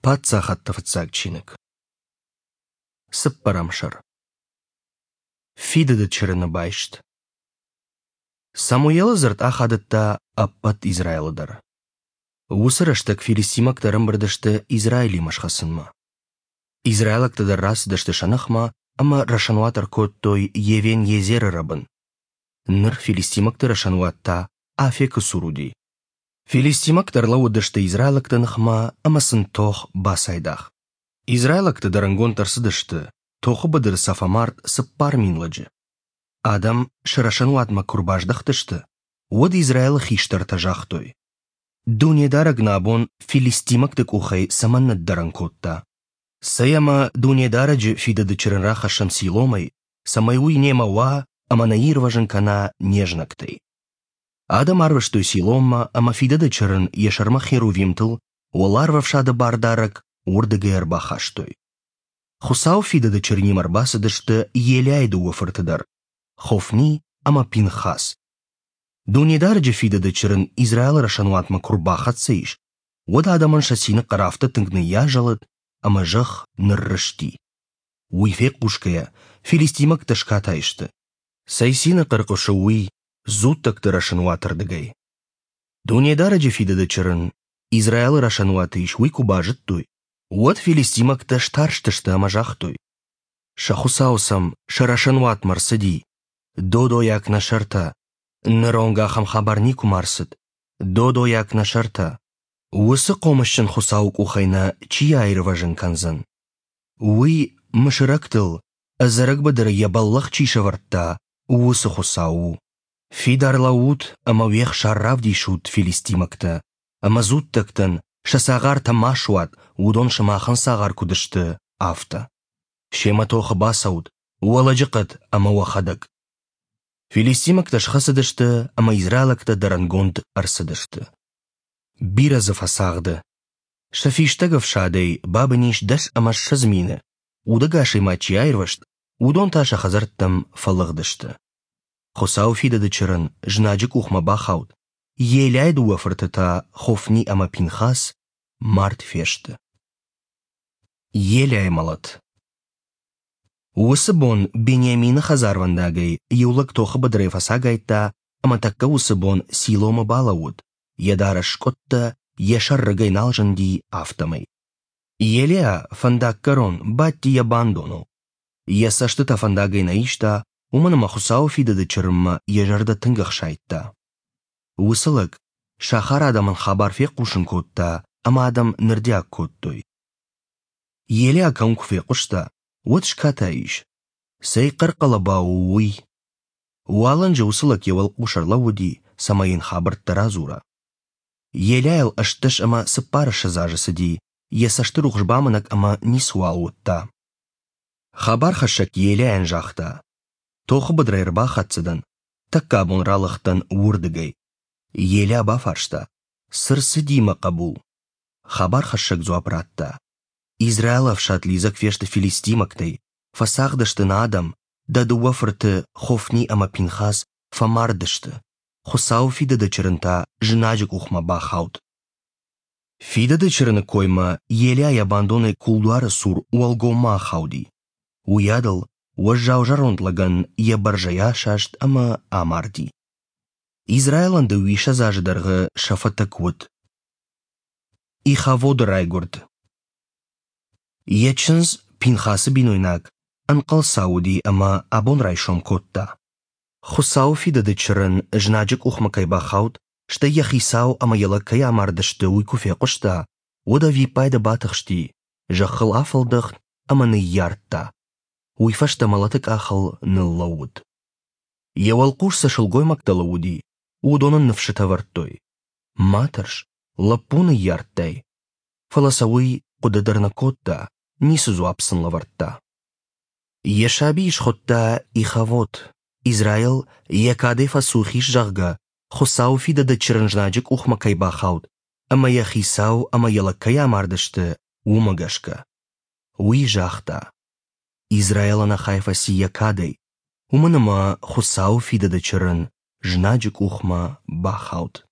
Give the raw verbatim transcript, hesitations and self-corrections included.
Паддзахӕдты фыццаг чиныг. Цыппӕрӕм сӕр. Фидыды чырыны байст. Самуелы дзырд ахадыдта ӕппӕт Израилы дӕр. Уыцы рӕстӕг филистимӕгтӕ ӕрӕмбырд сты Израилимӕ схӕцынмӕ. Израилӕгтӕ дӕр рацыдысты сӕ ныхмӕ ӕмӕ рӕсӕнуат ӕркодтой Евен-Езеры рӕбын. Ныр филистимӕгты рӕсӕнуат та Афекы цур уыди. Филистимӕгтӕ ӕрлӕууыдысты израилӕгты ныхмӕ ӕмӕ сын тох бацайдагъ. Израилӕгтӕ дӕрӕнгонд ӕрцыдысты, тохы быдыры сӕ фӕмард цыппар мин лӕджы. Адӕм сӕ рӕсӕнуатмӕ куы ӕрбаздӕхтысты, уӕд Израилы хистӕртӕ загътой: Дунедарӕг нӕ абон филистимӕгты къухӕй цӕмӕн ныддӕрӕн кодта? Цӕй ӕмӕ Дунедарӕджы фидыды чырын рахӕссӕм Силомӕй, цӕмӕй уый немӕ уа ӕмӕ нӕ ирвӕзын кӕна не знӕгтӕй. Адӕм арвыстой Силоммӕ ӕмӕ фидыды чырын йӕ сӕрмӕ херувимтыл уӕларвӕфсады бардарӕг уырдыгӕй ӕрбахастой. Хуыцауы фидыды чырынимӕ ӕрбацыдысты Елиайы дыууӕ фырты дӕр, Хофни ӕмӕ Пинхас. Дунедарӕджы фидыды чырын Израилы рӕсӕнуатмӕ куы ӕрбахӕццӕ ис, уӕд адӕмӕн сӕ цины хъӕр афтӕ тынг ныййазӕлыд, ӕмӕ зӕхх ныррызти. Уый фехъусгӕйӕ, филистимӕгтӕ скатай сты. Цӕй цины хъӕр хъуысы уый дзуттӕгты рӕсӕнуатырдыгӕй? Дунедарӕджы фидыды чырын Израилы рӕсӕнуаты ис, уый куы базыдтой, уӕд филистимӕгтӕ старстысты ӕмӕ загътой: Сӕ хуыцау сӕм сӕ рӕсӕнуатмӕ ӕрцыди, додойаг нӕ сӕртӕ, ныронг ахӕм хабар никуыма ӕрцыд, додойаг нӕ сӕртӕ. Уыцы хъомысджын хуыцауы къухӕй нӕ чи аирвӕзын кӕндзӕн? Уый мысырӕгтыл ӕдзӕрӕг быдыры йӕ бӕллӕх чи сӕвӕрдта, уыцы хуыцау у. Фидар лӕуут ӕмӕ уе хсар равдисут, филистимӕгтӕ, ӕмӕ дзуттӕгтӕн сӕ цагъартӕ ма суат, уыдон сымахӕн цагъар куыд сты, афтӕ. Семӕ тохы бацӕут, уӕ лӕджыхъӕд ӕмӕ уӕхӕдӕг. Филистимӕгтӕ схӕцыдысты ӕмӕ израилӕгтӕ дӕрӕнгонд ӕрцыдысты. Бирӕ дзы фӕцагъды. Сӕ фистӕг ӕфсадӕй бабын ис дӕс ӕмӕ ссӕдз мины, удӕгасӕй ма чи аирвӕзт, уыдон та сӕ хӕдзӕрттӕм фӕлыгъдысты. Хуыцауы фидыды чырын знаджы къухмӕ бахауд, Елиайы дыууӕ фырты та, Хофни ӕмӕ Пинхас, мард фесты. Елиайы мӕлӕт. Уыцы бон Бениамины хӕдзарвӕндагӕй иу лӕг тохы быдырӕй фӕцагайдта ӕмӕ тӕккӕ уыцы бон Силомы балӕууыд, йӕ дарӕс скъуыдтӕ, йӕ сӕр рыгӕй нал зынди, афтӕмӕй. Елиа фӕндаггӕрон бадти йӕ бандоныл. Йӕ цӕстытӕ фӕндагӕй нӕ иста, уымӕн ӕмӕ Хуыцауы фидыды чырынмӕ йӕ зӕрдӕ тынг ӕхсайдта. Уыцы лӕг сахар адӕмӕн хабар фехъусын кодта, ӕмӕ адӕм нырдиаг кодтой. Елиа кӕуын куы фехъуыста, уӕд скатай ис. Цӕй хъӕр-хъӕлӕба у уый? Уалынджы уыцы лӕг йӕ уӕлхъус ӕрлӕууыди, цӕмӕй йын хабӕрттӕ радзура. Елиайыл ӕстдӕс ӕмӕ цыппарыссӕдз азы цыди, йӕ цӕстырухс бамынӕг ӕмӕ ницыуал уыдта. Хабархӕссӕг Елиайӕн загъта: Тохы быдырӕй ӕрбахӕццӕ дӕн, тӕккӕ абон ралыгъдтӕн уырдыгӕй. Елиа бафарста: Цы рцыди, мӕ хъӕбул? Хабархӕссӕг дзуапп радта: Израилы ӕфсад лидзӕг фесты филистимӕгтӕй, фӕцагъды сты нӕ адӕм, дӕ дыууӕ фырты Хофни ӕмӕ Пинхас фӕмард сты, Хуыцауы фидыды чырын та знаджы къухмӕ бахауд. Фидыды чырыны коймӕ Елиа йӕ бандонӕй кулдуары цур уӕлгоммӕ ахауди. Уыйадыл уӕззау зӕронд лӕгӕн йӕ бӕрзӕй асаст ӕмӕ амарди. Израилӕн дыууиссӕдз азы дӕргъы сӕ фӕтӕг уыд. Ихаводы райгуырд. Йӕ чындз Пинхасы бинойнаг ӕнхъӕлцау уыди ӕмӕ абон райсом кодта. Хуыцауы фидыды чырын знаджы къухмӕ кӕй бахауд, стӕй йӕ хицау ӕмӕ йӕ лӕг кӕй амардысты, уый куы фехъуыста, уӕд ӕвиппайды батыхсти, зӕххыл афӕлдӕхт ӕмӕ ныййардта. Уый фӕстӕ мӕлӕты къахыл ныллӕууыд. Йӕ уӕлхъус цы сылгоймӕгтӕ лӕууыди, уыдон ын ныфсытӕ вӕрдтой: Ма тӕрс, лӕппу ныййардтай. Фӕлӕ сӕ уый хъуыды дӕр нӕ кодта, ницы дзуапп сын лӕвӕрдта. Йӕ сабийы схуыдта Ихавод, Израил йӕ кадӕй фӕцух ис, зӕгъгӕ, Хуыцауы фидыды чырын знаджы къухмӕ кӕй бахауд ӕмӕ йӕ хицау ӕмӕ йӕ лӕг кӕй амардысты, уымӕ гӕсгӕ. Уый загъта: Израил ӕнӕхай фӕци йӕ кадӕй, уымӕн ӕмӕ Хуыцауы фидыды чырын знаджы къухмӕ бахауд.